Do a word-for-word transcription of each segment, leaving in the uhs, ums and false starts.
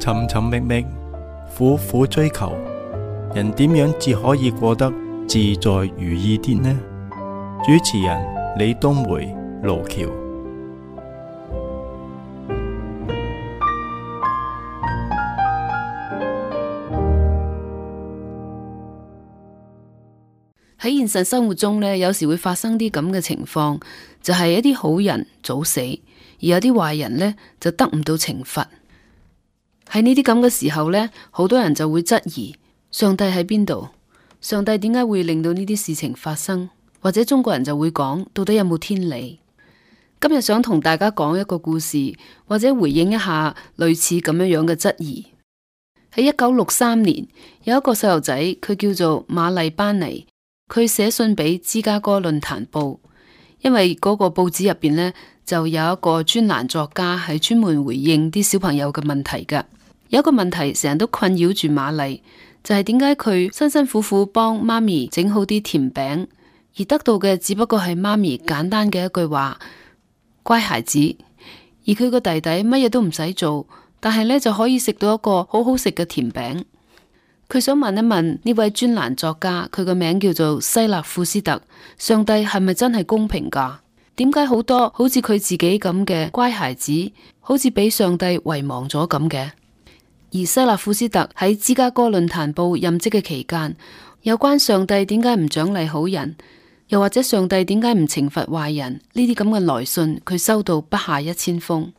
尋尋覓覓，苦苦追求，人點樣至可以過得自在如意啲呢？主持人李東梅、盧橋。喺現實生活中呢，有時會發生啲咁嘅情況，就係一啲好人早死，而有啲壞人呢就得唔到懲罰。喺呢啲咁嘅時候呢，好多人就會質疑上帝喺邊度？上帝點解會令到呢啲事情發生？或者中國人就會講，到底有冇天理？今日想同大家講一個故事，或者回應一下類似咁樣樣嘅質疑。喺一九六三年，有一個細路仔，佢叫做馬麗班尼。佢寫信俾芝加哥論壇報，因為嗰個報紙入邊呢，就有一個專欄作家係專門回應啲小朋友嘅問題噶。有一個問題成日都困擾住瑪麗，就係點解佢辛辛苦苦幫媽咪整好啲甜餅，而得到嘅只不過係媽咪簡單嘅一句話：乖孩子。而佢個弟弟乜嘢都唔使做，但係呢就可以食到一個好好食嘅甜餅。佢想問一問呢位專欄作家，佢個名叫做西勒庫斯特，上帝係咪真係公平噶？點解好多好似佢自己咁嘅乖孩子，好似俾上帝遺忘咗咁嘅？而西勒庫斯特喺芝加哥論壇報任職嘅期間，有關上帝點解唔獎勵好人，又或者上帝點解唔懲罰壞人呢啲咁嘅來信，佢收到不下一千封。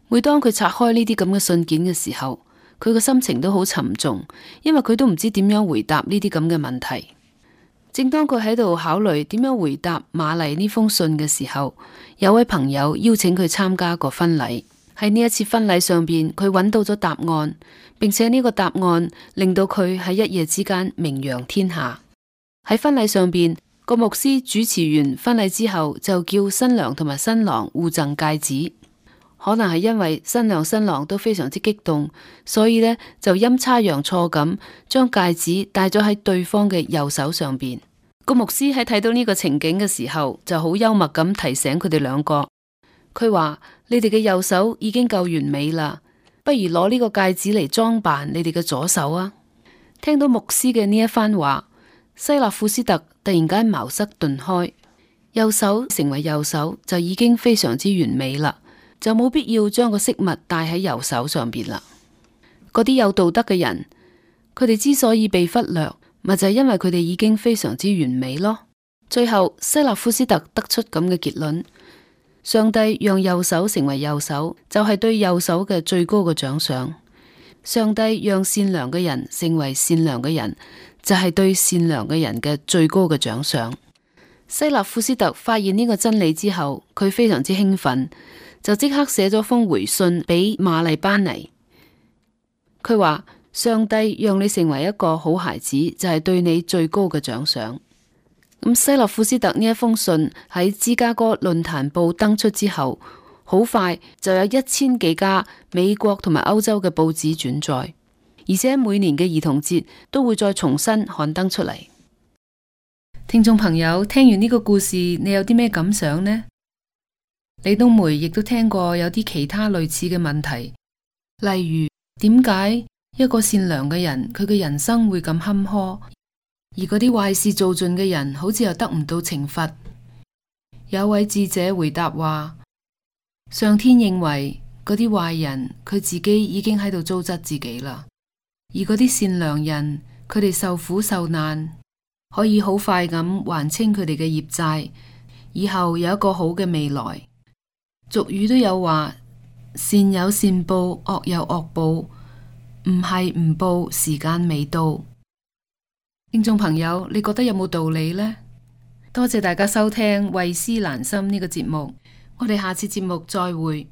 每當佢拆開呢啲咁嘅信件嘅時候，佢個心情都好沉重，因為佢都唔知點樣回答呢啲咁嘅問題。正當佢喺度考慮點樣回答瑪麗呢封信嘅時候，有位朋友邀請佢參加個婚禮。喺呢一次婚禮上邊，佢揾到咗答案，並且呢個答案令到佢喺一夜之間名揚天下。喺婚禮上邊，個牧師主持完婚禮之後，就叫新娘同埋新郎互贈戒指。可能係因為新娘新郎都非常之激動，所以呢就陰差陽錯咁將戒指戴咗喺對方嘅右手上邊。個牧師喺睇到呢個情景嘅時候，就好幽默咁提醒佢哋兩個。佢話：你哋嘅右手已經夠完美啦，不如攞呢個戒指嚟裝扮你哋嘅左手啊！聽到牧師嘅呢一番話，西勒庫斯特突然間茅塞頓開，右手成為右手就已經非常之完美啦。就冇必要將個飾物戴喺右手上邊啦。嗰啲有道德嘅人，佢哋之所以被忽略，咪就係因為佢哋已經非常之完美咯。最後，西勒庫斯特得出咁嘅結論：上帝讓右手成為右手，就係對右手嘅最高嘅獎賞；上帝讓善良嘅人成為善良嘅人，就係對善良嘅人嘅最高嘅獎賞。西勒庫斯特發現呢個真理之後，佢非常之興奮。就即刻寫咗封回信俾瑪麗班尼。佢話：上帝讓你成為一個好孩子，就係對你最高嘅獎賞。咁西勒庫斯特呢一封信喺芝加哥論壇報登出之後，好快就有一千幾家美國同埋歐洲嘅報紙轉載，而且每年嘅兒童節都會再重新刊登出嚟。聽眾朋友，聽完呢個故事，你有啲咩感想呢？李東梅亦都聽過有啲其他類似嘅問題，例如點解一個善良嘅人佢嘅人生會咁坎坷，而嗰啲壞事做盡嘅人好似又得唔到懲罰？有位智者回答話：上天認為嗰啲壞人佢自己已經喺度糟質自己啦，而嗰啲善良人佢哋受苦受難，可以好快咁還清佢哋嘅業債，以後有一個好嘅未來。俗語都有話：善有善報，惡有惡報，唔係唔報，時間未到。聽眾朋友，你覺得有冇道理呢？多謝大家收聽《慧思蘭心》呢個節目，我哋下次節目再會。